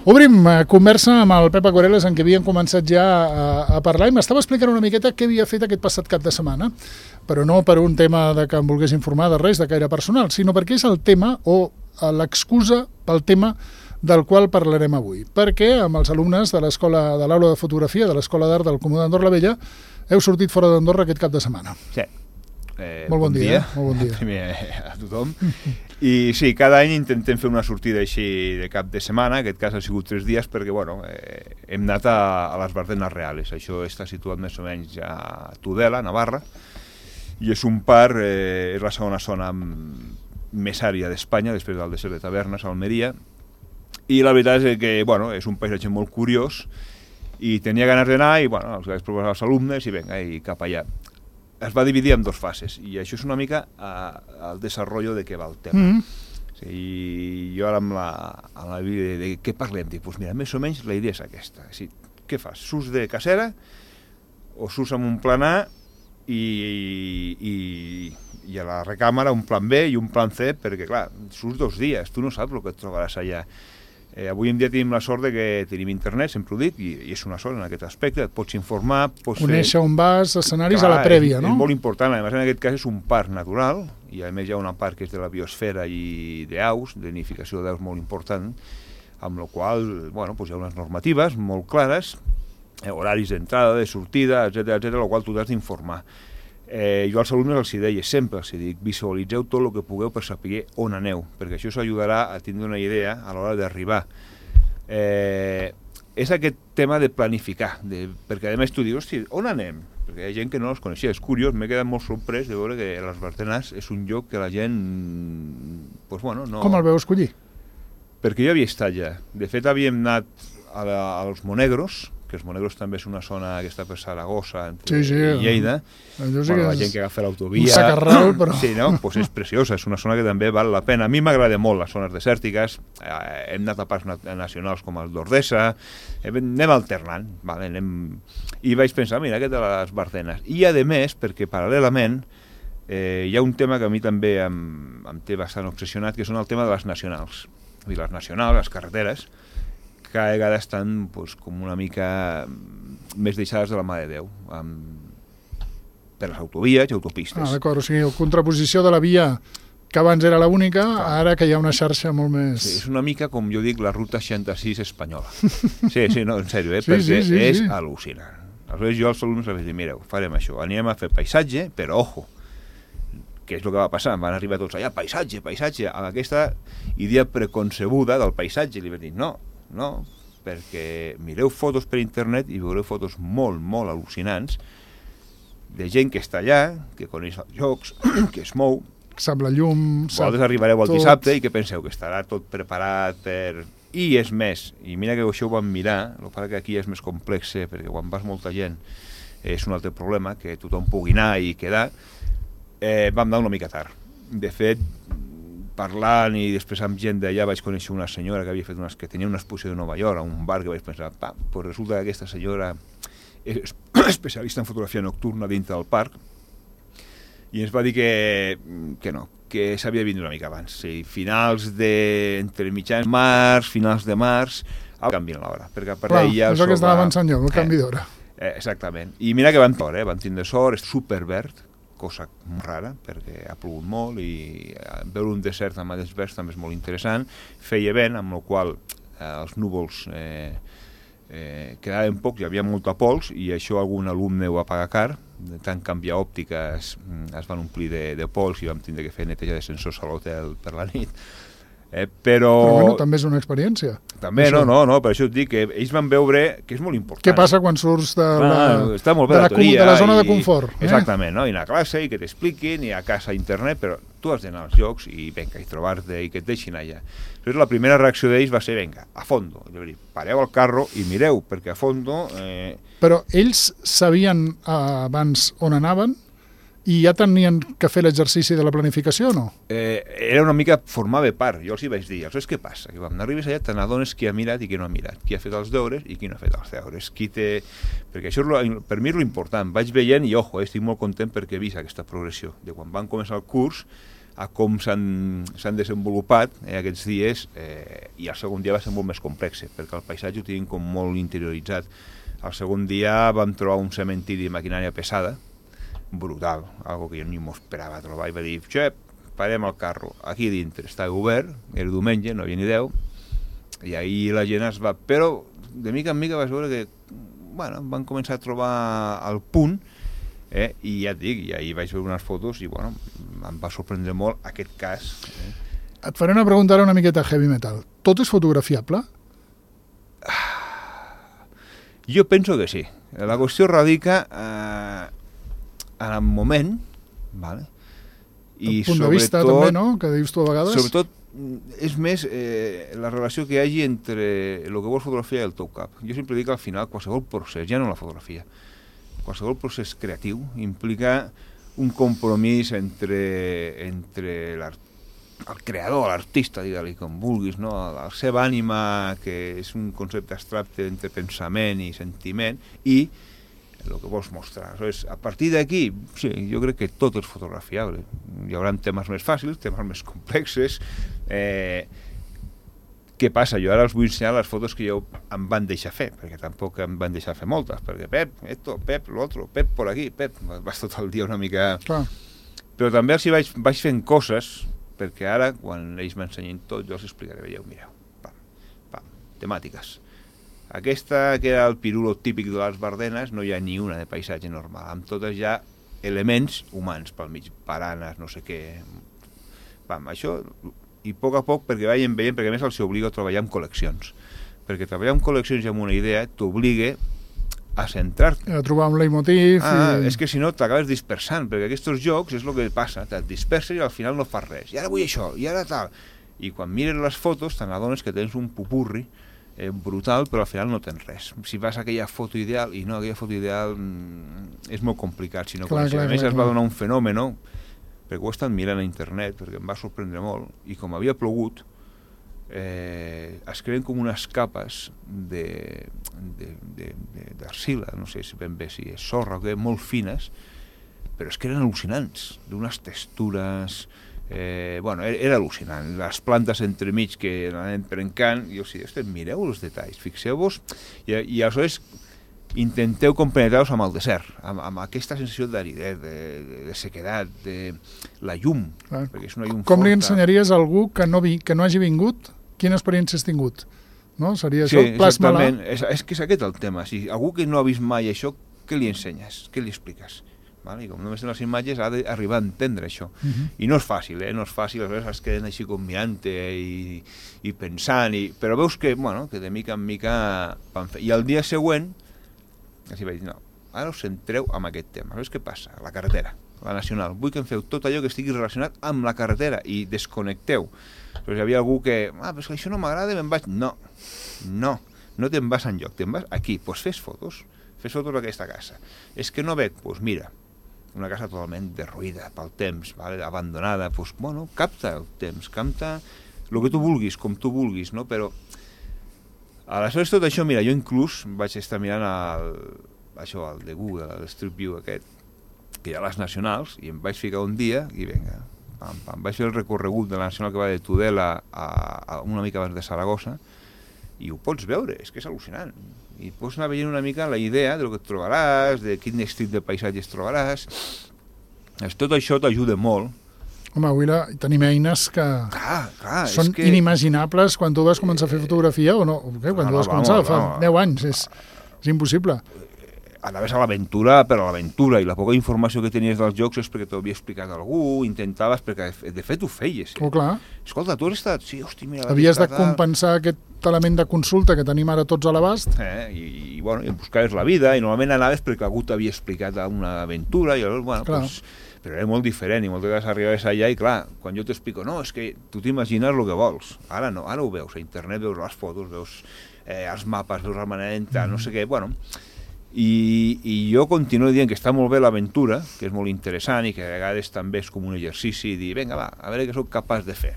Obrim conversa amb el Pep Acuareles, en què havíem començat ja a parlar, i m'estava explicant una miqueta què havia fet aquest passat cap de setmana, però no per un tema de que em volgués informar de res de caire personal, sinó perquè és el tema o l'excusa pel tema del qual parlarem avui. Perquè amb els alumnes de l'aula de fotografia de l'Escola d'Art del Comú d'Andorra la Vella heu sortit fora d'Andorra aquest cap de setmana. Sí. Molt bon dia. Molt bon dia. Primer a tothom. I sí, cada any intentem fer una sortida així de cap de setmana, en aquest cas ha sigut 3 dies perquè hem anat a les Bardenes Reales. Això està situat més o menys a Tudela, Navarra, i és un parc, és la segona zona més ària d'Espanya, després del desert de Tavernes, a Almeria, i la veritat és que és un paisatge molt curiós i tenia ganes d'anar i els vaig proposar als alumnes i vinga, i cap allà. Es va dividir en 2 fases i això és una mica el desenvolupament de què va el tema. I jo ara amb la vida de què parlem? Dic, mira, més o menys la idea és aquesta. Què fas? Surts de casera o surts amb un plan A i a la recàmera un plan B i un plan C, perquè clar, surts 2 dies, tu no saps el que et trobaràs allà. Avui en dia tenim la sort de que tenim internet, sempre ho dic, i és una sort en aquest aspecte, et pots informar, pots conèixer on vas, escenaris a la prèvia, no? És molt important, a més en aquest cas és un parc natural, i a més hi ha una part que és de la biosfera i d'aus, de nidificació d'aus molt important, amb la qual hi ha unes normatives molt clares, horaris d'entrada, de sortida, etc, la qual tu t'has d'informar. Jo als alumnes els deia, sempre els dic, visualitzeu tot el que pugueu per saber on aneu, perquè això us ajudarà a tindre una idea a l'hora d'arribar. És aquest tema de planificar, perquè a més tu dius, hosti, on anem? Perquè hi ha gent que no els coneixia, és curiós, m'he quedat molt sorprès de veure que les Bardenes és un lloc que la gent, no... Com el veu escollir? Perquè jo havia estat ja, de fet havíem anat als Monegros, que els Monegros també és una zona que està per Saragossa i Lleida, la gent que agafa l'autovia... Un sacarral, però... Sí, no? És preciosa, és una zona que també val la pena. A mi m'agrada molt les zones desèrtiques, hem anat a parcs nacionals com el d'Ordesa, anem alternant, i vaig pensar, mira, aquest de les Bardenes. I a més, perquè paral·lelament hi ha un tema que a mi també em té bastant obsessionat, que són el tema de les nacionals. Vull dir, les nacionals, les carreteres, cada vegada estan com una mica més deixades de la mà de Déu, per les autovies i autopistes. D'acord, o sigui, la contraposició de la via que abans era l'única, ara que hi ha una xarxa molt més... Sí, és una mica, com jo dic, la ruta 66 espanyola. Sí, no, en sèrio, perquè és al·lucinant. Aleshores jo als alumnes els dic, mireu, farem això, anirem a fer paisatge, però ojo, què és el que va passar? Van arribar tots allà, paisatge, amb aquesta idea preconcebuda del paisatge, i li vaig dir, no, perquè mireu fotos per internet i veureu fotos molt, molt al·lucinants de gent que està allà, que coneix els llocs, que es mou. Sap la llum, vosaltres arribareu el dissabte i que penseu que estarà tot preparat per... I és més, i mira que això ho vam mirar, el que aquí és més complex, perquè quan vas molta gent és un altre problema, que tothom pugui anar i quedar, vam anar una mica tard. De fet, parlant i després amb gent d'allà vaig conèixer una senyora que havia fet que tenia una exposició de Nova York a un bar, que vaig pensar, doncs resulta que aquesta senyora és especialista en fotografia nocturna dintre del parc, i ens va dir que no, que s'havia de vindre una mica abans, finals entre mitjans març, finals de març, canvien l'hora, perquè a partir d'ahir... És el que estava avançant jo, el canvi d'hora. Exactament, i mira que van tindre sort, és superverd, cosa molt rara, perquè ha plogut molt i veure un desert amb aquests verds també és molt interessant. Feia vent, amb el qual els núvols quedaven pocs, hi havia molta pols, i això algun alumne ho va pagar car, de tant canviar òptiques es van omplir de pols i vam tindre que fer neteja de sensors a l'hotel per la nit. Però també és una experiència. També, no, per això et dic que ells van veure que és molt important. Què passa quan surts de la zona de confort? Exactament, no? I anar a classe i que t'expliquin, i a casa a internet, però tu has d'anar als llocs i trobar-te i que et deixin allà. Llavors la primera reacció d'ells va ser, a fondo. Pareu el carro i mireu, perquè a fondo... Però ells sabien abans on anaven? I ja tenien que fer l'exercici de la planificació o no? Era una mica, formava part, jo els hi vaig dir, aleshores què passa? Que quan arribes allà te n'adones qui ha mirat i qui no ha mirat, qui ha fet els deures i qui no ha fet els deures, perquè això per mi és l'important, vaig veient i, estic molt content perquè he vist aquesta progressió, de quan van començar el curs a com s'han desenvolupat aquests dies, i el segon dia va ser molt més complex, perquè el paisatge ho tenim com molt interioritzat. El segon dia vam trobar un cementiri de maquinària pesada, brutal, algo que jo ni m'ho esperava trobar, i va dir, xep, parem el carro, aquí dintre estava obert, era diumenge, no havia ni 10, i ahir la gent es va... Però de mica en mica vas veure que, bueno, van començar a trobar el punt, i ja et dic, i ahir vaig veure unes fotos i, bueno, em va sorprendre molt aquest cas. Et faré una pregunta ara una miqueta heavy metal. Tot és fotografiable? Jo penso que sí. La qüestió radica en el moment, vale? I el punt de vista també, no?, que dius tu a vegades. Sobretot, és més la relació que hi hagi entre el que vols fotografiar i el teu cap. Jo sempre dic que al final qualsevol procés, ja no la fotografia, qualsevol procés creatiu implica un compromís entre el creador, l'artista, digue-li com vulguis, no? La seva ànima, que és un concepte abstracte entre pensament i sentiment, i el que vols mostrar. Aleshores, a partir d'aquí, sí, jo crec que tot és fotografiable. Hi haurà temes més fàcils, temes més complexes. Què passa? Jo ara els vull ensenyar les fotos que jo em van deixar fer, perquè tampoc em van deixar fer moltes, perquè Pep, esto, Pep, lo otro, Pep por aquí, Pep, vas tot el dia una mica... Clar. Però també els vaig fent coses, perquè ara, quan ells m'ensenyin tot, jo els explicaré, veieu, mireu, pam, temàtiques. Aquesta, que era el pirulo típic de les Bardenes, no hi ha ni una de paisatge normal, amb totes ja elements humans pel mig, baranes, no sé què... Pam, això... I a poc, perquè vagin veient, perquè a més els obliga a treballar amb col·leccions. Perquè treballar amb col·leccions i amb una idea t'obliga a centrar-te. A trobar un leitmotiv... És que si no t'acabes dispersant, perquè aquests jocs és el que passa, te't disperses i al final no fas res. I ara vull això, i ara tal. I quan mires les fotos te n'adones que tens un pupurri brutal, però al final no tens res. Si vas a aquella foto ideal, i no, aquella foto ideal és molt complicat, sinó que a més es va donar un fenomen, perquè ho he estat mirant a internet, perquè em va sorprendre molt, i com havia plogut, es creen com unes capes d'arcila, no sé si ben bé si és sorra o què, molt fines, però és que eren al·lucinants, d'unes textures... era al·lucinant. Les plantes entremig que anaven trencant, i jo sí, mireu els detalls, fixeu-vos, i aleshores intenteu compenetrar-vos amb el desert, amb aquesta sensació d'aridesa, de sequedat, de la llum, perquè és una llum forta. Com li ensenyaries a algú que no hagi vingut? Quina experiència has tingut? No? Seria això? Sí, exactament. És que és aquest el tema. Si algú que no ha vist mai això, què li ensenyes? Què li expliques? I com només en les imatges ha d'arribar a entendre això. I no és fàcil, no és fàcil, a vegades es queden així com mirant-te i pensant, però veus que, que de mica en mica van fer. I el dia següent així vaig dir, no, ara us centreu en aquest tema. Saps què passa? La carretera, la nacional. Vull que em feu tot allò que estigui relacionat amb la carretera i desconnecteu. Però hi havia algú que, però és que això no m'agrada, me'n vaig... No te'n vas enlloc, te'n vas aquí. Doncs fes fotos d'aquesta casa. És que no veig, doncs mira, una casa totalment derruïda pel temps, abandonada, doncs, capta el temps, capta el que tu vulguis, com tu vulguis, no? Però aleshores tot això, mira, jo inclús vaig estar mirant el de Google, el Street View aquest, que hi ha les nacionals, i em vaig ficar un dia, i vinga, vaig fer el recorregut de la nacional que va de Tudela a una mica abans de Saragossa, i ho pots veure, és que és al·lucinant. I pots anar veient una mica la idea del que et trobaràs, de quin estil de paisatges trobaràs. Tot això t'ajuda molt. Home, avui tenim eines que són inimaginables quan tu vas començar a fer fotografia o no, quan tu vas començar, fa 10 anys, és impossible. Anaves a l'aventura, però a l'aventura, i la poca informació que tenies dels jocs és perquè t'ho havia explicat algú, intentaves, perquè de fet ho feies. Oh, clar. Escolta, tu has estat... Sí, hosti, mira... Havies de compensar aquest element de consulta que tenim ara tots a l'abast. I buscaves la vida, i normalment anaves perquè algú t'havia explicat una aventura, i llavors, però era molt diferent, i moltes vegades arribaves allà, i clar, quan jo t'explico, no, és que tu t'imagines el que vols. Ara no, ara ho veus, a internet veus les fotos, veus els mapes, veus la manera, no sé què, i jo continuo dient que està molt bé l'aventura, que és molt interessant i que a vegades també és com un exercici i dir, vinga, va, a veure què soc capaç de fer.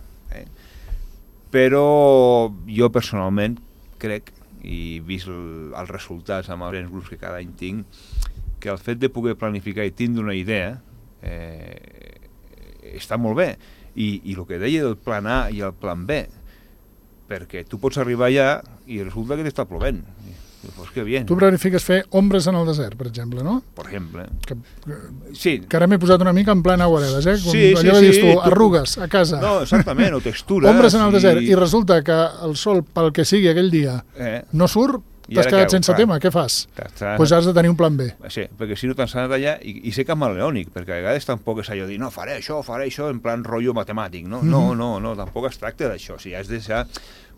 Però jo personalment crec, i vist els resultats amb els grups que cada any tinc, que el fet de poder planificar i tindre una idea està molt bé. I el que deia del plan A i el plan B, perquè tu pots arribar allà i resulta que t'està plovent. Pues que bien. Tu planifiques fer ombres en el desert, per exemple, no? Per exemple. Sí. Que ara m'he posat una mica en plan aguaredes, eh? Com allò que dius tu, arrugues a casa. No, exactament, o textures. Ombres en el desert, i resulta que el sol, pel que sigui aquell dia, no surt, t'has quedat sense tema, què fas? Doncs has de tenir un plan B. Sí, perquè si no t'has anat allà, i sé camaleònic, perquè a vegades tampoc és allò de dir, no, faré això, en plan rotllo matemàtic, no? No, tampoc es tracta d'això, o sigui, has de deixar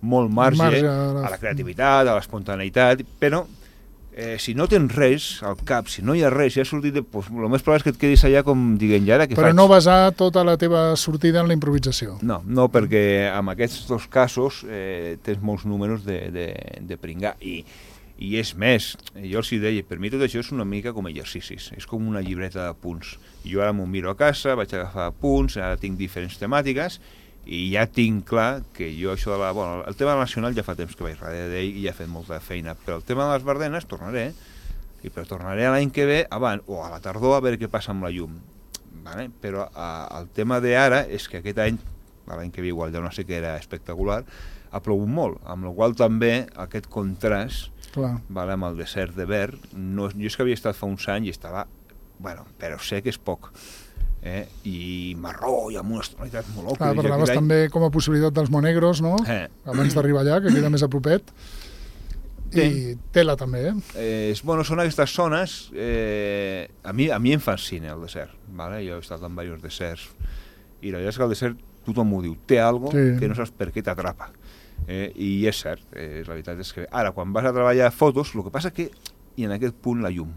molt marge a la creativitat, a l'espontaneïtat, però si no tens res al cap, si no hi ha res, si has sortit, doncs el més probable és que et quedis allà com diguem, i ara què faig? Però no basar tota la teva sortida en la improvisació. No, perquè en aquests dos casos tens molts números de pringar, i és més, jo els deia, per mi tot això és una mica com exercicis, és com una llibreta de punts. Jo ara m'ho miro a casa, vaig agafar punts, ara tinc diferents temàtiques, i ja tinc clar que jo això de el tema nacional ja fa temps que vaig darrere d'ell i ja he fet molta feina, però el tema de les Bardenes tornaré l'any que ve abans, o a la tardor a veure què passa amb la llum, vale? Però el tema d'ara és que aquest any, l'any que ve igual ja no sé què era espectacular, ha plogut molt, amb la qual també aquest contrast vale, amb el desert de verd, jo és que havia estat fa uns anys i estava, però sé que és poc, i marró i amb unes tonalitats molt òcules. Parlaves també com a possibilitat dels monegros, no? Abans d'arribar allà, que queda més a propet. I tela també, Són aquestes zones, a mi em fascina el desert, vale? Jo he estat en diversos deserts, i la veritat és que el desert tothom ho diu, té algo que no saps per què t'atrapa. I és cert, la veritat és que ara quan vas a treballar fotos, el que passa que i en aquest punt la llum.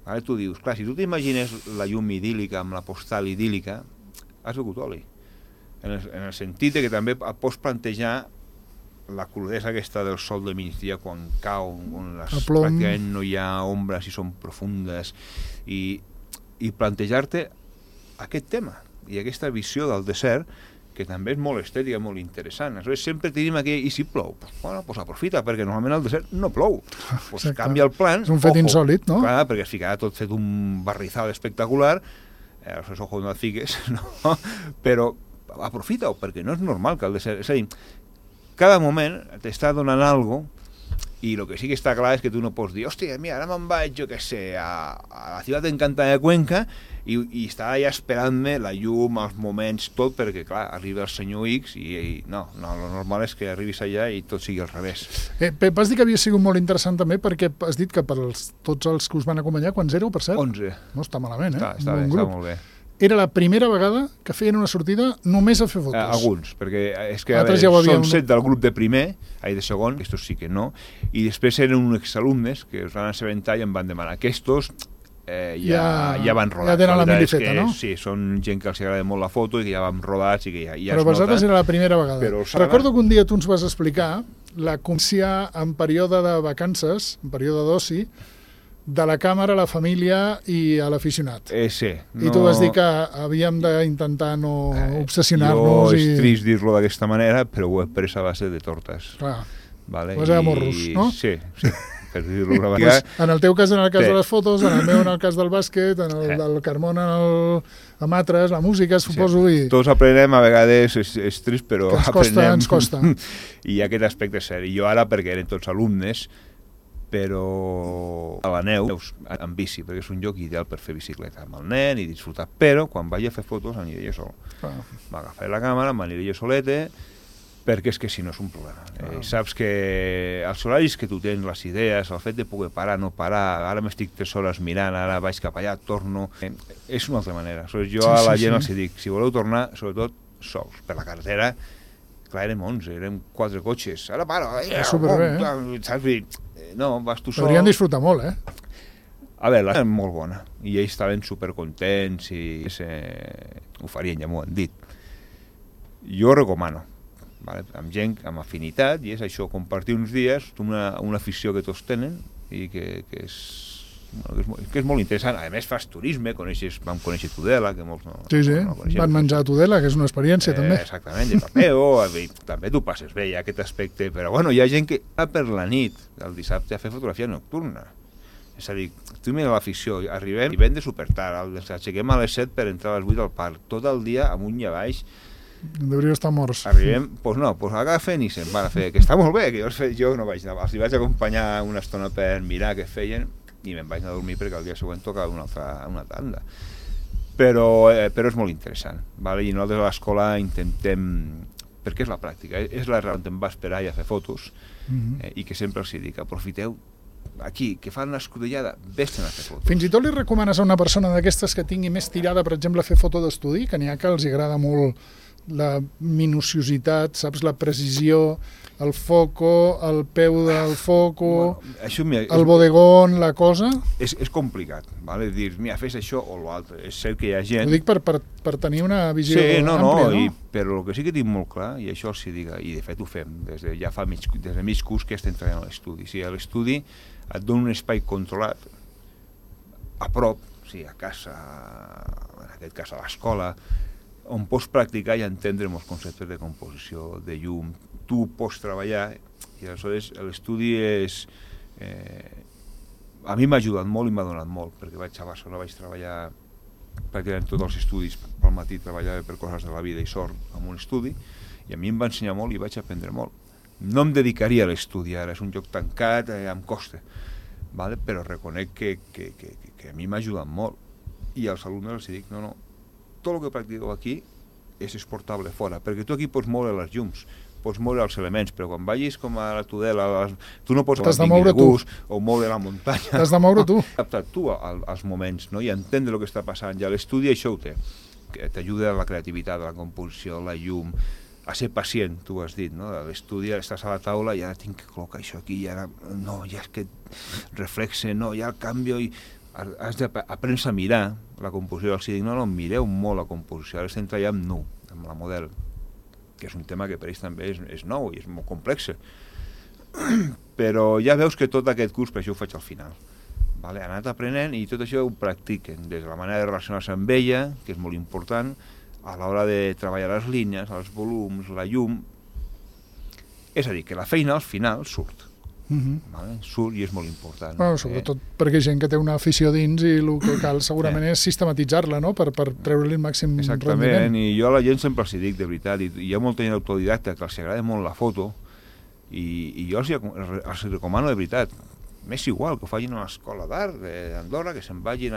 Ara tu dius, clar, si tu t'imagines la llum idíl·lica amb la postal idíl·lica, has begut oli. En el sentit que també pots plantejar la crudesa aquesta del sol de migdia quan cau, on pràcticament no hi ha ombres i són profundes, i plantejar-te aquest tema i aquesta visió del desert, que també és molt estètica, molt interessant. Aleshores, sempre tenim aquell, i si plou? Doncs aprofita, perquè normalment al desert no plou. Canvia el plan. És un fet insòlit, no? Clar, perquè es ficarà tot fet un barrizal espectacular, aleshores, ojo, no et fiques, no? Però aprofita-ho, perquè no és normal que al desert... És a dir, cada moment t'està donant alguna cosa, i el que sí que està clar és que tu no pots dir, hòstia, mira, ara me'n vaig, jo què sé, a la ciutat encantada de Cuenca, i està allà esperant-me la llum, els moments, tot, perquè, clar, arriba el senyor X i no, el normal és que arribis allà i tot sigui al revés. Pep, has dit que havia sigut molt interessant també, perquè has dit que per tots els que us van acompanyar, quants éreu, per cert? 11. No està malament, Està bé, està molt bé. Era la primera vegada que feien una sortida només a fer fotos. Alguns, perquè és que són 7 del grup de primer, de segon, aquests sí que no, i després eren uns exalumnes que es van assabentar i em van demanar. Aquests ja van rodats. Ja tenen la milifeta, no? Sí, són gent que els agrada molt la foto i que ja van rodats i que ja Però per vosaltres era la primera vegada. Recordo que un dia tu ens vas explicar la consciència en període de vacances, en període d'oci, de la càmera, a la família i a l'aficionat. Sí. I tu vas dir que havíem d'intentar no obsessionar-nos. Jo és trist dir-lo d'aquesta manera, però ho he pres a base de tortes. Clar, vale? Vas a morros, no? Sí, per dir-lo una vegada. En el teu cas, en el cas de les fotos, en el meu en el cas del bàsquet, en el del Carmona amb altres, la música, suposo. I... Tots aprenem, a vegades és trist, però aprenem. Ens costa. I aquest aspecte és cert. I jo ara, perquè eren tots alumnes, però a la neu, en bici, perquè és un lloc ideal per fer bicicleta amb el nen i disfrutar, però quan vaig a fer fotos aniré jo sol. M'agafaré la càmera, m'aniré jo solete, perquè és que si no és un problema. Saps que els horaris que tu tens, les idees, el fet de poder parar, no parar, ara m'estic 3 hores mirant, ara vaig cap allà, torno... És una altra manera. Jo a la gent els dic, si voleu tornar, sobretot sols, per la carretera, clar, érem 11, érem 4 cotxes, ara para, superbé, saps? No, vas tu sol. Haurien disfrutat molt, A veure, la era molt bona, i ells estaven supercontents i ho farien, ja m'ho han dit. Jo recomano, vale? Amb gent amb afinitat, i és això, compartir uns dies, una afició que tots tenen, i que és molt interessant. A més, fas turisme, vam conèixer Tudela, que molts no coneixem. Van menjar a Tudela, que és una experiència, també. Exactament, de papeo, també tu passes bé, hi ha aquest aspecte, però bueno, hi ha gent que va per la nit, el dissabte, a fer fotografia nocturna. És a dir, tu mira l'afició, arribem i ven de super tard, ens aixequem a les 7 per entrar a les 8 al parc, tot el dia amunt i a baix, Deurien estar morts. Arribem, doncs agafen i se'n van a fer, que està molt bé, que jo no vaig anar, els vaig acompanyar una estona per mirar què feien i me'n vaig anar a dormir perquè el dia següent tocava una tanda. Però és molt interessant, vale? I nosaltres a l'escola intentem, perquè és la pràctica, és la raó on em va esperar i a fer fotos, i que sempre els dic, aprofiteu aquí, que fan una escudellada, vés-te'n a fer fotos. Fins i tot li recomanes a una persona d'aquestes que tingui més tirada, per exemple, a fer foto d'estudi, que n'hi ha que els agrada molt la minuciositat, saps, la precisió, el foco, el peu del foco, el bodegón, la cosa... És complicat, vale? Dir, mira, fes això o l'altre. És cert que hi ha gent... Ho dic per tenir una visió àmplia, no? Però el que sí que tinc molt clar, i això els dic, i de fet ho fem, des de mig curs que estem treballant a l'estudi. Si a l'estudi et dona un espai controlat, a prop, a casa, en aquest cas a l'escola, on pots practicar i entendre molts conceptes de composició, de llum, tu pots treballar, i aleshores l'estudi és... a mi m'ha ajudat molt i m'ha donat molt, perquè vaig a Barcelona, vaig treballar pràcticament tots els estudis, pel matí treballava per coses de la vida i sort en un estudi, i a mi em va ensenyar molt i vaig aprendre molt. No em dedicaria a l'estudi ara, és un lloc tancat, em costa, vale? Però reconec que a mi m'ha ajudat molt, i als alumnes els dic, no, tot el que practiqueu aquí és exportable fora, perquè tu aquí pots moure les llums, pots moure els elements, però quan vagis com a la Tudela, tu no pots moure gust, o moure la muntanya. T'has de moure tu. Adaptar tu als moments, no? I entendre el que està passant. I a l'estudi això ho té, que t'ajuda a la creativitat, a la composició, la llum, a ser pacient, tu has dit, no? A l'estudi estàs a la taula i ara tinc que col·locar això aquí, i ara no, ja és que reflexe, no, ja el canvio, i has d'aprendre a mirar la composició. Els dic, no, mireu molt la composició, ara estem treballant amb nu, amb la model, que és un tema que per ells també és nou i és molt complex. Però ja veus que tot aquest curs, per això ho faig al final, vale? Han anat aprenent i tot això ho practiquen, des de la manera de relacionar-se amb ella, que és molt important, a l'hora de treballar les línies, els volums, la llum. És a dir, que la feina al final surt. Vale? Surt i és molt important. Bueno, sobretot perquè hi ha gent que té una afició dins i el que cal segurament és sistematitzar-la, no? Per treure-li el màxim rendiment. I jo a la gent sempre els dic, de veritat, i hi ha molta gent autodidacta que els agrada molt la foto, i jo els recomano de veritat, m'és igual que ho facin a l'escola d'art d'Andorra, que se'n vagin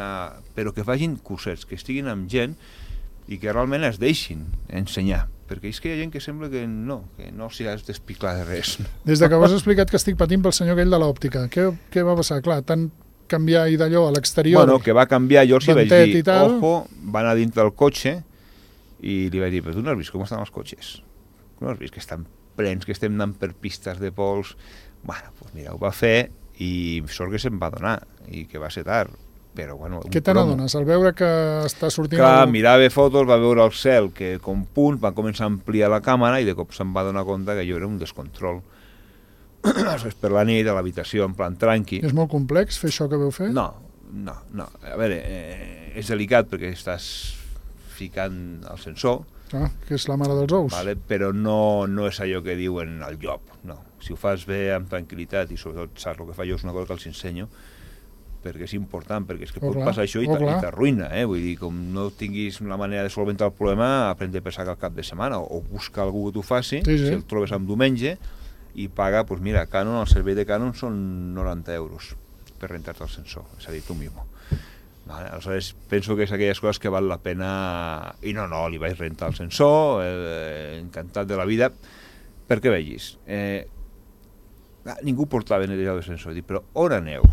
però que facin cursets, que estiguin amb gent i que realment es deixin ensenyar, perquè és que hi ha gent que sembla que no s'hi has d'explicar de res. Des que m'has explicat que estic patint pel senyor aquell de l'òptica, què va passar? Clar, tant canviar i d'allò a l'exterior... Bueno, que va canviar, jo els vaig dir, ojo, va anar dintre del cotxe i li vaig dir, però tu no has vist com estan els cotxes? No has vist que estan plens, que estem anant per pistes de pols? Bueno, doncs mira, ho va fer i sort que se'n va donar i que va ser tard. Però, bueno, què te n'adones? Al veure que està sortint... Clar, mirava fotos, va veure el cel, que com punt va començar a ampliar la càmera i de cop se'n va donar compte que allò era un descontrol. Per la nit, a l'habitació, en plan tranqui. És molt complex fer això que veu fer? No. A veure, és delicat perquè estàs ficant el sensor. Que és la mare dels ous. Vale? Però no és allò que diuen al llop, no. Si ho fas bé, amb tranquil·litat, i sobretot saps el que fa jo, és una cosa que els ensenyo, perquè és important, perquè és que pot passar això i t'arruïna, vull dir, com no tinguis la manera de solventar el problema, aprendre a pensar que al cap de setmana, o buscar algú que t'ho faci, si el trobes en diumenge, i paga, doncs mira, Canon, el servei de Canon són 90 euros per rentar-te el sensor, és a dir, tu mismo. Vale? Aleshores, penso que és aquelles coses que val la pena, i no, li vaig rentar el sensor, encantat de la vida, perquè vegis, ningú portava netejador de sensor, dic, però on aneu?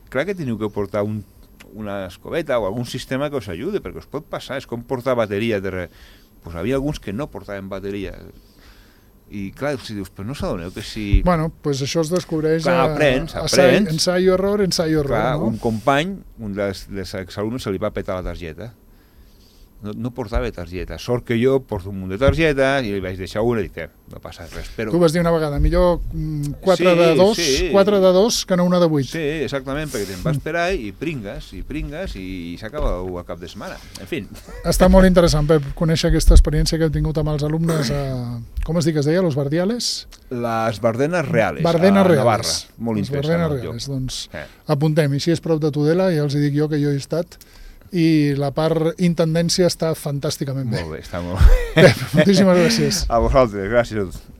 Clar que teniu que portar una escobeta o algun sistema que us ajudi, perquè us pot passar, és com portar bateria. Pues havia alguns que no portaven bateria. I clar, si dius, però no s'adoneu que si... Bueno, pues això es descobreix aprens. Ensayo-error, clar, no? Un company, un dels exalumnes, se li va petar la targeta. No portava targeta. Sort que jo porto un munt de targetes i li vaig deixar una i dic, no passa res. Però... Tu vas dir una vegada, millor 4 de 2 que no una de 8. Sí, exactament, perquè te'n vas esperar i pringues i s'acaba a cap de setmana. En fi. Està molt interessant, Pep, conèixer aquesta experiència que heu tingut amb els alumnes com es diu que es deia, los Bardiales? Les Bardenes Reales, Bardenes Reales. Navarra. Molt interessant. Les Bardenes Reales, doncs apuntem, i si és prop de Tudela, ja els dic jo que jo he estat i la part intendència està fantàsticament bé. Molt bé, està molt bé. Moltíssimes gràcies. A vosaltres, gràcies a tots.